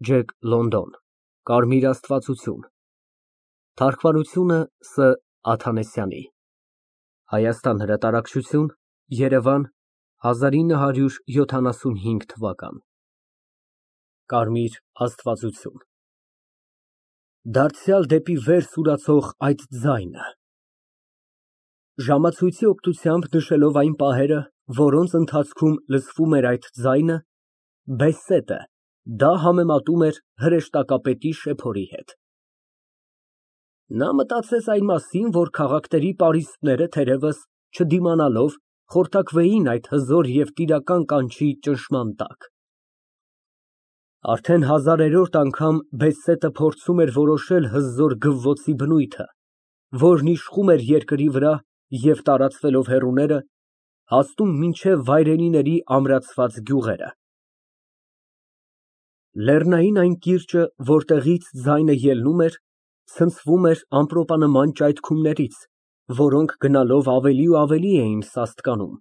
Ջ. Լոնդոն, Կարմիր աստվածություն, թարգմանությունը Ս. Աթանեսյանի, Հայաստան հրատարակչություն, Երևան 1975թ. Կարմիր աստվածություն։ Դարձյալ դեպի վեր սուրացող այդ ձայնը… Ժամացույցի օգնությամբ նշելով այն պահերը, որոնց ընթացքում լսվում էր այդ ձայնը, Բեսետը դա համեմատում էր հրեշտակապետի շեփորի հետ։ Նա մտածեց այն մասին, որ քաղաքների պարիսպները, թերևս, չդիմանալով, խորտակվեին այդ հզոր և տիրական կանչի ճնշման տակ։ Արդեն հազարերորդ անգամ Բեսետը փորձում էր որոշել հզոր գվվոցի բնույթը, որն իշխում էր երկրի վրա և, տարածվելով հեռուները, հասնում մինչև վայրենիների ամրացված գյուղերը։ Լեռնային այն կիրճը, որտեղից ձայնը ելնում էր, ցնցվում էր ամպրոպանման ճայթքումներից, որոնք գնալով ավելի ու ավելի էին սաստկանում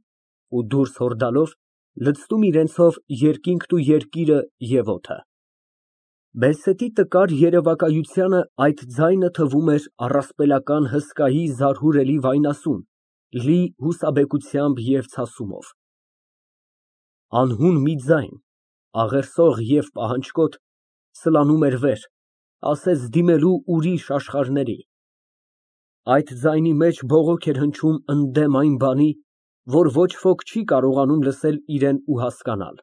ու դուրս հորդալով լցնում իրենցով երկինքն ու երկիրը և օդը։ Բեսետի տկար երևակայությանը այդ ձայնը թվում էր առասպելական հսկայի զարհուրելի վայնասուն, լի հուսաբեկությամբ և ցասումով։ Անհուն մի ձայն, աղերսող և պահանջկոտ, սլանում էր վեր, ասես դիմելու ուրիշ աշխարհների։ Այդ ձայնի մեջ բողոք էր հնչում ընդդեմ այն բանի, որ ոչ ոք չի կարողանում լսել իրան ու հասկանալ։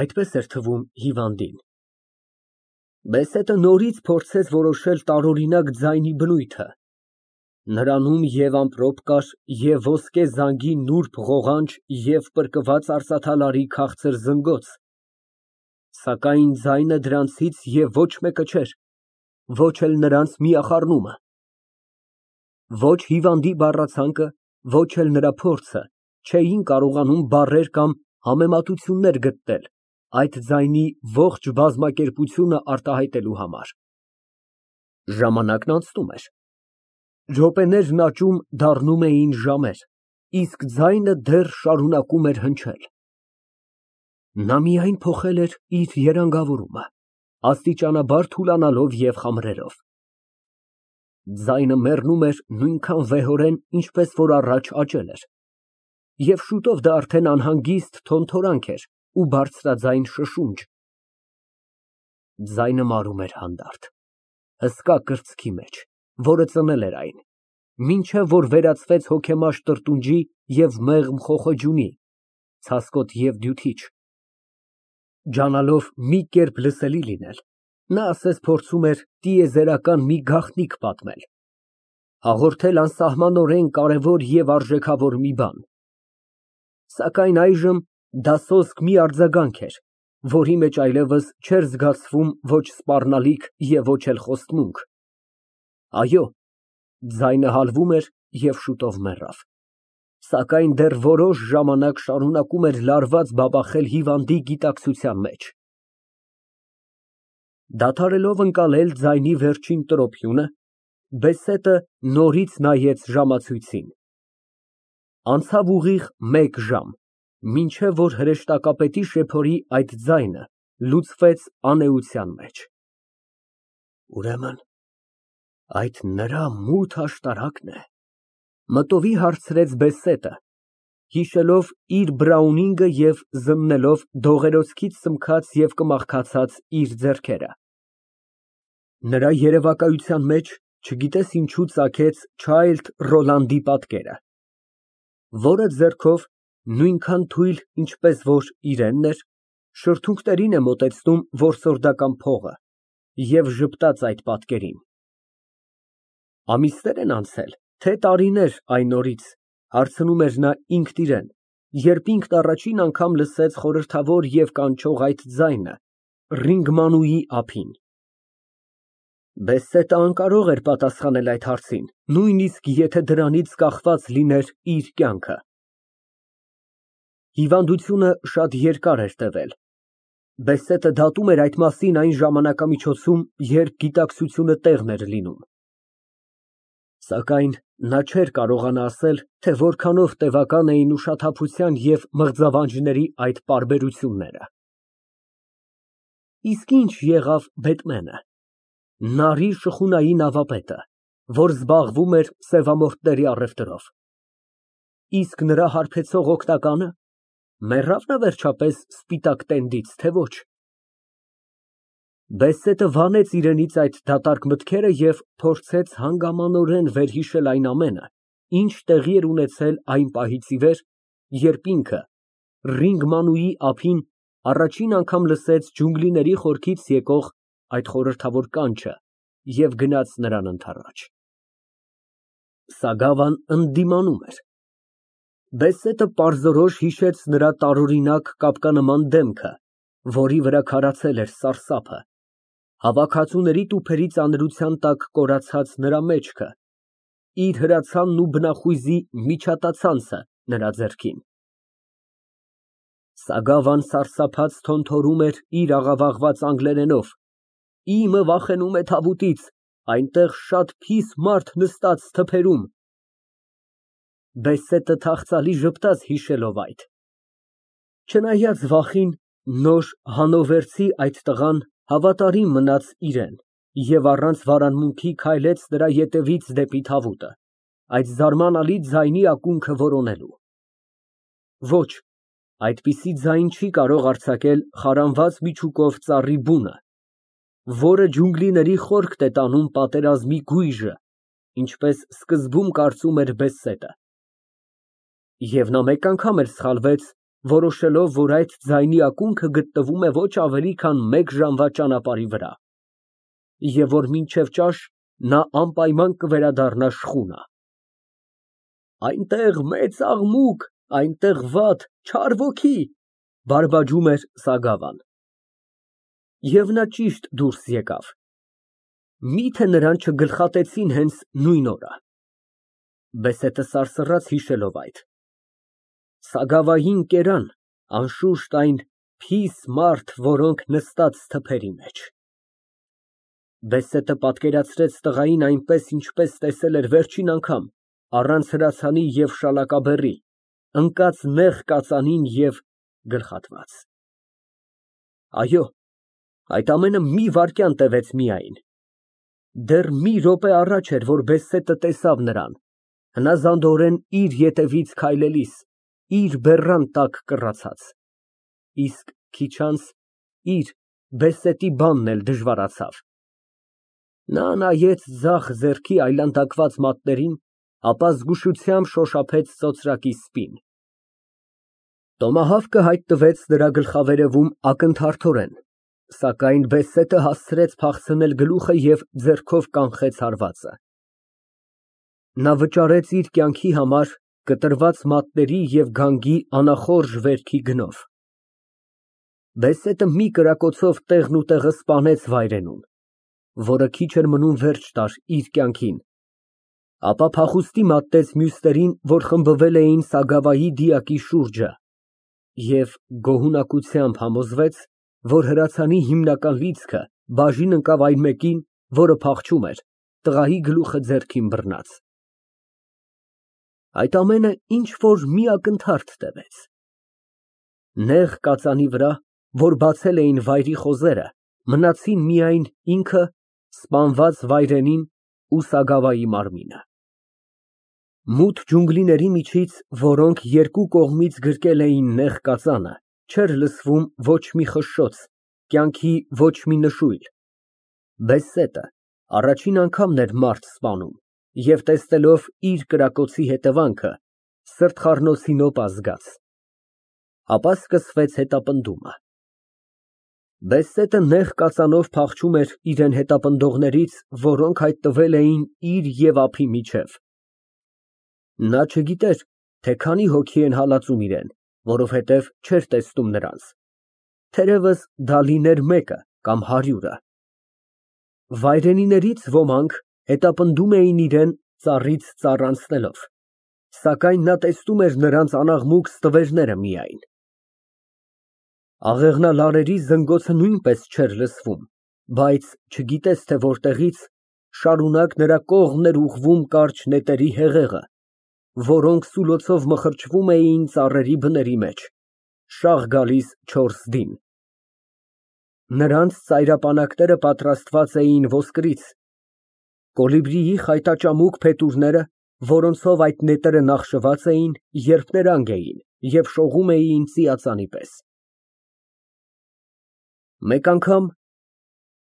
Այդպես էր թվում հիվանդին։ Բեսետը նորից փորձեց որոշել տարօրինակ ձայնի բնույթը։ Նրանում և ամպրոպ կար, և ոսկե զանգի նուրբ ղողանջ և պրկված արծաթալարի քաղցր զնգոց, սակայն ձայնը դրանցից և ոչ մեկը չէր, ոչ էլ նրանց միախառնումը։ Ոչ հիվանդի բառացանկը, ոչ էլ նրա փորձը չէին կարողանում բառեր կամ համեմատություններ գտնել այդ ձայնի ողջ բազմակերպությունը արտահայտելու համար։ Ժամանակն անցնում էր։ Րոպեներն աճում դառնում էին ժամեր, իսկ ձայնը դեռ շարունակում էր հնչել։ Նա միայն փոխել էր իր երանգավորումը, աստիճանաբար թուլանալով և խամրելով։ Ձայնը մեռնում էր նույնքան վեհորեն, ինչպես որ առաջ աճել էր, և շուտով դա արդեն անհանգիստ թոթորանք էր ու բարձրաձայն շշունջ։ Ձայնը մարում էր հանդարտ, հսկա կրծքի մեջ, որը ծնել էր այն, մինչև որ վերածվեց հոգեմաշ տրտունջի և մեղմ խոխոջունի, ցասկոտ և դյութիչ։ Ջանալով մի կերպ լսելի լինել, նա ասես փորձում էր տիեզերական մի գաղտնիք պատմել, հաղորդել անսահմանորեն կարևոր և արժեքավոր մի բան։ Սակայն այժմ դա սոսկ մի արձագանք էր, որի մեջ այլևս չէր զգացվում ոչ սպառնալիք և ոչ էլ խոստմունք։ Այո, ձայնը հալվում էր և շուտով մեռավ, սակայն դեռ որոշ ժամանակ շարունակում էր լարված բաբախել հիվանդի գիտակցության մեջ։ Դադարելով ընկալել ձայնի վերջին տրոփյունը, Բեսետը նորից նայեց ժամացույցին։ Անցավ ուղիղ 1 ժամ, մինչև որ հրեշտակապետի շեփորի այդ ձայնը լուծվեց անէության մեջ։ Ուրեմն այդ նրա մութ աշտարակն է, մտովի հարցրեց Բեսետը, հիշելով իր բրաունինգը և զննելով դողերոցքից սմքած և կմախքացած իր ձեռքերը։ Նրա երևակայության մեջ չգիտես ինչու ծագեց Չայլդ Ռոլանդի պատկերը, որը ձեռքով, նույնքան թույլ, ինչպես որ իրենն էր, շրթունքներին է մոտեցնում որսորդական փողը և ժպտաց այդ պատկերին։ Ամիսներ են անցել, թե տարիներ այն օրից, հարցնում էր նա ինքն իրան, երբ ինքն առաջին անգամ լսեց խորհրդավոր և կանչող այդ ձայնը Ռինգմանուի ափին։ Բեսետը անկարող էր պատասխանել այդ հարցին, նույնիսկ եթե դրանից կախված լիներ իր կյանքը։ Հիվանդությունը շատ երկար էր տևել։ Բեսետը դատում էր այդ մասին այն ժամանակամիջոցում, երբ գիտակցությունը տեղն էր լինում։ Սակայն նա չէր կարողանա ասել, թե որքանով տևական էին ուշաթափության և մղձավանջների այդ պարբերությունները։ Իսկ ինչ եղավ Բեթմենը, նարի շխունայի նավապետը, որ զբաղվում էր սևամորթների առևտրով։ Իսկ նրա հարբեցող օգնականը մեռավ նա վերջապես սպիտակ տենդից, թե ոչ։ Բեսետը վանեց իրենից այդ դատարկ մտքերը և փորձեց հանգամանորեն վերհիշել այն ամենը, ինչ տեղի էր ունեցել այն պահից ի վեր, երբ ինքը Ռինգմանուի ափին առաջին անգամ լսեց ջունգլիների խորքից եկող այդ խորհրդավոր կանչը և գնաց նրան ընդառաջ։ Սագավան ընդդիմանում էր։ Բեսետը պարզորոշ հիշեց նրա տարօրինակ կապկանման դեմքը, որի վրա քարացել էր սարսափը, հավաքածուների տուփերի ծանրության տակ կորացած նրա մեջքը, իր հրացանն ու բնախույզի միջատացանցը նրա ձեռքին։ Սագավան սարսափած թոնթորում էր իր աղավաղված անգլերենով. «Իմը վախենում է թավուտից, այնտեղ շատ փիս մարդ նստած թփերում»։ Բեսետը թախծալի ժպտաց հիշելով այդ։ Չնայած վախին, նոր հանովերցի այդ տղան հավատարիմ մնաց իրան և առանց վարանմունքի քայլեց նրա ետևից դեպի թավուտը, այդ զարմանալի ձայնի ակունքը որոնելու։ Ոչ, այդպիսի ձայն չի կարող արձակել խարանված միջուկով ծառի բունը, որը ջունգլիների խորքտ է տանում պատերազմի գույժը, ինչպես սկզբում կարծում էր Բեսետը։ Եվ նա մեկ անգամ էլ սխալվեց, որոշելով, որ այդ ձայնի ակունքը գտնվում է ոչ ավելի քան մեկ ժամվա ճանապարհի վրա, և որ մինչև ճաշ նա անպայման կվերադառնա շխունա։ Այնտեղ մեծ աղմուկ, այնտեղ վատ, չար ոգի, բարբաջում էր Սագավան։ Եվ նա ճիշտ դուրս եկավ։ Միթե նրան չգլխատեցին հենց նույն օրը։ Բեսետը սարսռաց հիշելով այդ։ Սագավային կերան, անշուշտ, այն փիս մարդ, որոնք նստած թփերի մեջ։ Բեսետը պատկերացրեց տղային այնպես, ինչպես տեսել էր վերջին անգամ, առանց հրացանի և շալակաբեռի, ընկած նեղ կածանին և գլխատված։ Այո, այդ ամենը մի վայրկյան տևեց միայն։ Դեռ մի րոպե առաջ էր, որ Բեսետը տեսավ նրան, հնազանդորեն իր ետևից քայլելիս, իր բեռան տակ կռացած, իսկ քիչ անց իր Բեսետի բանն էլ դժվարացավ։ Նա նայեց ձախ ձեռքի այլանդակված մատներին, ապա զգուշությամբ շոշափեց ծոծրակի սպին։ Տոմահավկը հայտնվեց նրա գլխավերևում ակնթարթորեն, սակայն Բեսետը հասցրեց փախցնել գլուխը և ձեռքով կանխեց հարվածը։ Նա վճարեց իր կյանքի համար կտրված մատների և գանգի անախորժ վերքի գնով։ Բեսետը մի կրակոցով տեղն ու տեղը սպանեց վայրենուն, որը քիչ էր մնում վերջ տար իր կյանքին, ապա փախուստի մատեց մյուսներին, որ խմբվել էին Սագավայի դիակի շուրջը, և գոհունակությամբ համոզվեց, որ հրացանի հիմնական լիցքը բաժին ընկավ այն մեկին, որը փախչում էր, տղայի գլուխը ձեռքին բռնած։ Այդ ամենը ինչ֊որ մի ակնթարթ տևեց։ Նեղ կածանի վրա, որ բացել էին վայրի խոզերը, մնացին միայն ինքը, սպանված վայրենին ու Սագավայի մարմինը։ Մութ ջունգլիների միջից, որոնք երկու կողմից գրկել էին նեղ կածանը, չէր լսվում ոչ մի խշշոց, կյանքի ոչ մի նշույլ։ Բեսետը առաջին անգամն էր մարդ սպանում և, տեսնելով իր կրակոցի հետևանքը, սրտխառնոցի նոպ զգաց։ Ապա սկսվեց հետապնդումը։ Բեսետը նեղ կածանով փախչում էր իրան հետապնդողներից, որոնք հայտնվել էին իր և ափի միջև։ Նա չգիտեր, թե քանի հոգի են հալածում իրան, որովհետև չէր տեսնում նրանց, թերևս դա լիներ մեկը կամ 100-ը։ Վայրենիներից ոմանք հետապնդում էին իրան ծառից ծառ անցնելով, սակայն նա տեսնում էր նրանց անաղմուկ ստվերները միայն։ Աղեղնալարերի զնգոցը նույնպես չէր լսվում, բայց, չգիտես թե որտեղից, շարունակ նրա կողմն էր ուղղում կարճ նետերի հեղեղը, որոնք սուլոցով մխրճվում էին ծառերի բների մեջ, շաղ գալիս 4 դին։ Նրանց ծայրապանակները պատրաստված էին ոսկրից։ Կոլիբրիի խայտաճամուկ փետուրները, որոնցով այդ նետերը նախշված էին, երփներանգ էին և շողում էին ծիածանի պես։ Մեկ անգամ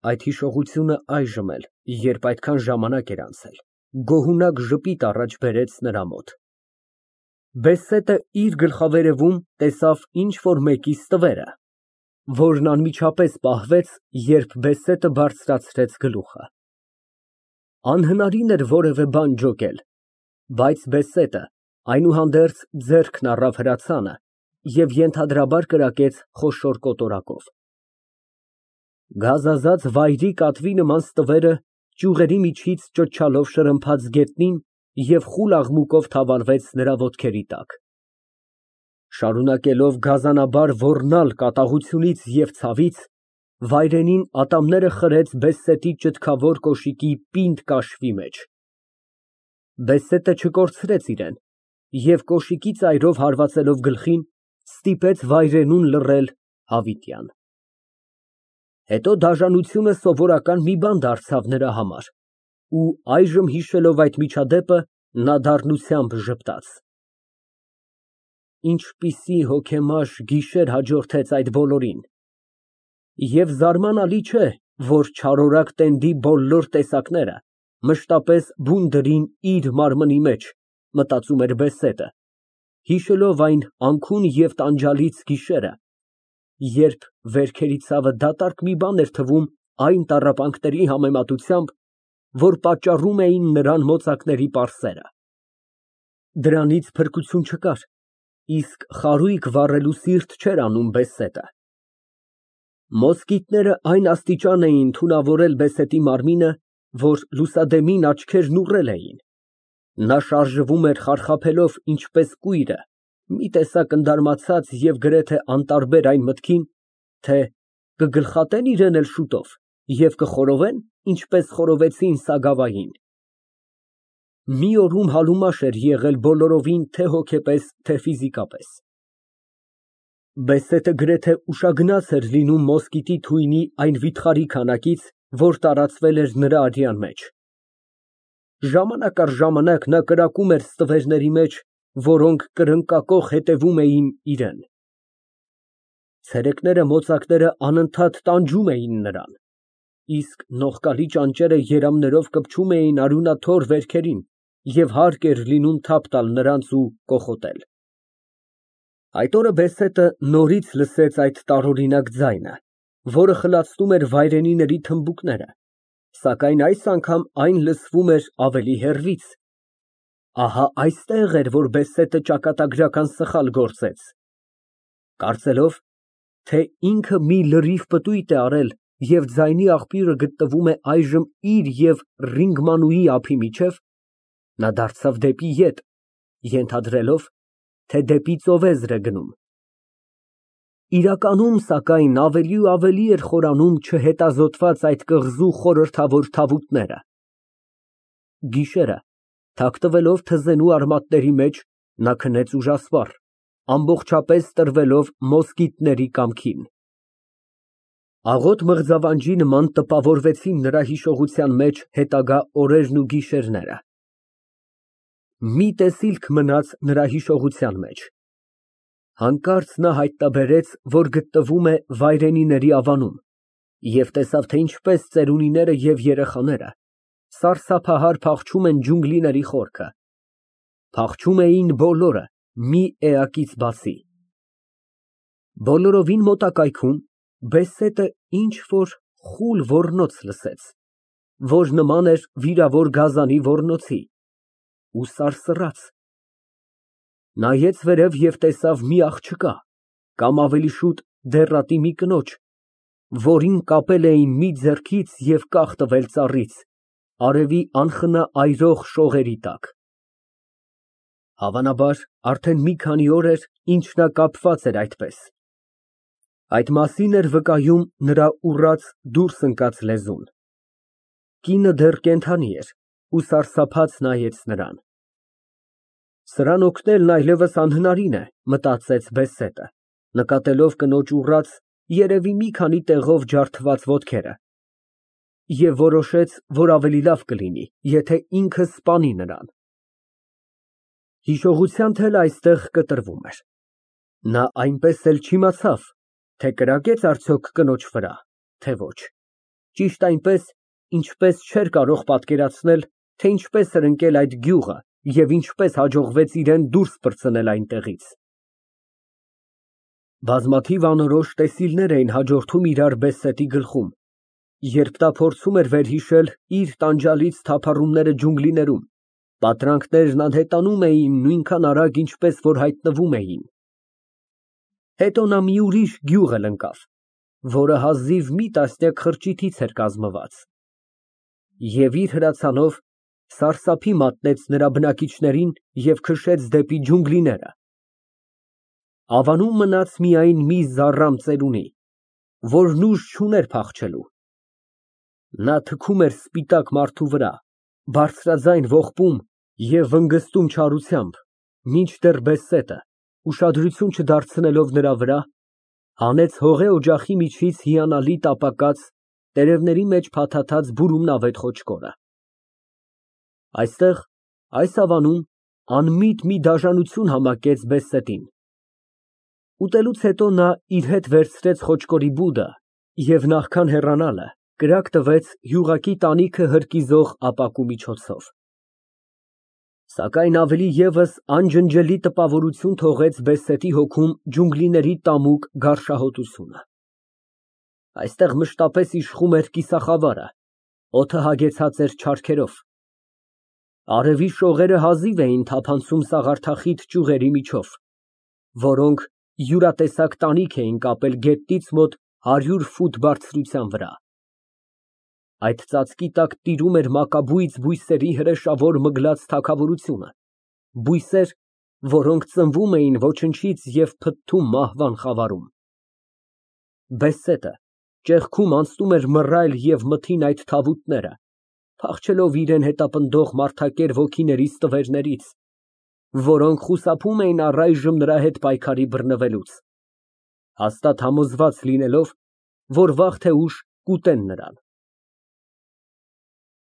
այդ հիշողությունը այժմ էլ, երբ այդքան ժամանակ էր անցել, գոհունակ ժպիտ առաջ բերեց նրա մոտ։ Բեսետը իր գլխավերևում տեսավ ինչ֊որ մեկի ստվերը, որն անմիջապես պահվեց, երբ Բեսետը բարձրացրեց գլուխը։ Անհնարին էր որևէ բան ջոկել, բայց Բեսետը այնուհանդերձ ձեռքն առավ հրացանը և ենթադրաբար կրակեց խոշոր կոտորակով։ Գազազած վայրի կատվի նման ստվերը ճյուղերի միջից ճչալով շրմփաց գետնին և խուլ աղմուկով թավալվեց նրա ոտքերի տակ։ Շարունակելով գազանաբար ոռնալ կատաղությունից և ցավից, վայրենին ատամները խրեց Բեսետի ճտկավոր կոշիկի պինդ կաշվի մեջ։ Բեսետը չկորցրեց իրեն և կոշիկի ծայրով հարվածելով գլխին, ստիպեց վայրենուն լռել հավիտյան։ Հետո դաժանությունը սովորական մի բան դարձավ նրա համար, ու այժմ հիշելով այդ միջադեպը, նա դառնությամբ ժպտաց. ինչպիսի հոգեմաշ գիշեր հաջորդեց այդ բոլորին, և զարմանալի չէ, որ չարորակ տենդի բոլոր տեսակները մշտապես բուն դրին իր մարմնի մեջ, մտածում էր Բեսետը, հիշելով այն անքուն և տանջալից գիշերը, երբ վերքերի ցավը դատարկ մի բան էր թվում այն տառապանքների համեմատությամբ, որ պատճառում էին նրան մոծակների պարսերը։ Դրանից փրկություն չկար, իսկ խարույկ վառելու սիրտ չէր անում Բեսետը։ Մոսկիտները այն աստիճան էին թունավորել Բեսետի մարմինը, որ լուսադեմին աչքերն ուռել էին։ Նա շարժվում էր խարխափելով ինչպես կույրը, մի տեսակ ընդարմացած և գրեթե անտարբեր այն մտքին, թե կգլխատե՞ն իրեն էլ շուտով և կխորովե՞ն, ինչպես խորովեցին Սագավային։ Մի օրում համեմատ էր եղել բոլորովին թե հոգեպես, թե ֆիզիկապես։ Բեսետը գրեթե ուշագնաց էր լինում մոսկիտի թույնի այն վիթխարի քանակից, որ տարածվել էր նրա արյան մեջ։ Ժամանակ առ ժամանակ նա կրակում էր ստվերների մեջ, որոնք կրկնակոխ հետևում էին իրան։ Ցերեկները մոծակները անընդհատ տանջում էին նրան, իսկ նողկալի ճանճերը երամներով կպչում էին արյունաթոռ վերքերին և հարկ էր լինում թափ տալ նրանց ու կոխոտել։ Այդ օրը Բեսետը նորից լսեց այդ տարօրինակ ձայնը, որը խլացնում էր վայրենիների թմբուկները, սակայն այս անգամ այն լսվում էր ավելի հեռվից։ Ահա այստեղ էր, որ Բեսետը ճակատագրական սխալ գործեց։ Կարծելով, թե ինքը մի լրիվ պտույտ է արել և ձայնի աղբյուրը գտնվում է այժմ իր և Ռինգմանուի ափի միջև, նա դարձավ դեպի ետ, ենթադրելով, թե դեպի ծովեզր է գնում։ Իրականում, սակայն, ավելի ու ավելի էր խորանում չհետազոտված այդ կղզու խորհրդավոր թավուտները։ Գիշերը, թաքնվելով թզենու արմատների մեջ, նա քնեց ուժասպառ, ամբողջապես տրվելով մոսկիտների կամքին։ Աղոտ մղձավանջի նման տպավորվեցին նրա հիշողության մեջ հետագա օրերն ու գիշերները։ Մի տեսիլք մնաց նրա հիշողության մեջ։ Հանկարծ նա հայտնաբերեց, որ գտնվում է վայրենիների ավանում, և տեսավ, թե ինչպես ծերունիները և երեխաները սարսափահար փախչում են ջունգլիների խորքը։ Փախչում էին բոլորը, մի էակից բացի։ Բոլորովին մոտակայքում Բեսետը ինչ֊որ խուլ ոռնոց լսեց, որ նման էր վիրավոր գազանի ոռնոցի, ու սարսռաց։ Նայեց վերև և տեսավ մի աղջկա, կամ ավելի շուտ դեռատի մի կնոջ, որին կապել էին մի ձեռքից և կախ տվել ծառից, արևի անխնա այրող շողերի տակ։ Հավանաբար, արդեն մի քանի օր էր, ինչ նա կապված էր այդպես։ Այդ մասին էր վկայում նրա ուռած, դուրս ընկած լեզուն։ Կինը դեռ կենդանի էր ու սարսափած նայեց նրան։ Սրան օգնելն այլևս անհնարին է, մտածեց Բեսետը, նկատելով կնոջ ուռած, երևի մի քանի տեղով ջարդված ոտքերը, և որոշեց, որ ավելի լավ կլինի, եթե ինքը սպանի նրան։ Հիշողության թելը այստեղ կտրվում էր։ Նա այնպես էլ չիմացավ, թե կրակե՞ց արդյոք կնոջ վրա, թե ոչ, ճիշտ այնպես, ինչպես չէր կարող պատկերացնել, թե ինչպես էր ընկել այդ գյուղը և ինչպես հաջողվեց իրան դուրս պրծնել այնտեղից։ Բազմաթիվ անորոշ տեսիլներ էին հաջորդում իրար Բեսետի գլխում, երբ նա փորձում էր վերհիշել իր տանջալից թափառումները ջունգլիներում, պատրանքներն անհետանում էին նույնքան արագ, ինչպես որ հայտնվում էին։ Հետո նա մի ուրիշ գյուղ էլ ընկավ, որը հազիվ մի տասնյակ խրճիթից էր կազմված, և իր հրացանով սարսափի մատնեց նրա բնակիչներին և քշեց դեպի ջունգլիները։ Ավանում մնաց միայն մի զառամ ծերունի, որն ուժ չուներ փախչելու։ Նա թքում էր սպիտակ մարդու վրա, բարձրաձայն ողբում և վնգստում չարությամբ, մինչդեռ Բեսետը, ուշադրություն չդարձնելով նրա վրա, հանեց հողե օջախի միջից հիանալի տապակած, տերևների մեջ փաթաթած բուրումնավետ խոչկորը։ Այստեղ, այս ավանում, անմիտ մի դաժանություն համակեց Բեսետին։ Ուտելուց հետո նա իր հետ վերցրեց խոչկորի բուդը և նախքան հեռանալը, կրակ տվեց յուղակի տանիքը հրկիզող ապակու միջոցով։ Սակայն ավելի ևս անջնջելի տպավորություն թողեց Բեսետի հոգում ջունգլիների տամուկ գարշահոտությունը։ Այստեղ մշտապես իշխում էր կիսախավարը, օդը հագեցած էր չարքերով։ Արևի շողերը հազիվ էին թափանցում սաղարթախիտ ճյուղերի միջով, որոնք յուրատեսակ տանիք էին կապել գետնից մոտ 100 ֆուտ բարձրության վրա։ Այդ ծածկի տակ տիրում էր մակաբույծ բույսերի հրեշավոր մգլած թագավորությունը, բույսեր, որոնք ծնվում էին ոչնչից և փթթում մահվան խավարում։ Բեսետը ճեղքում անցնում էր մռայլ և մթին այդ թավուտները, փախչելով իրան հետապնդող մարդակեր ոգիների ստվերներից, որոնք խուսափում էին առայժմ նրա հետ պայքարի բռնվելուց, հաստատ համոզված լինելով, որ վաղ թե ուշ կուտեն նրան։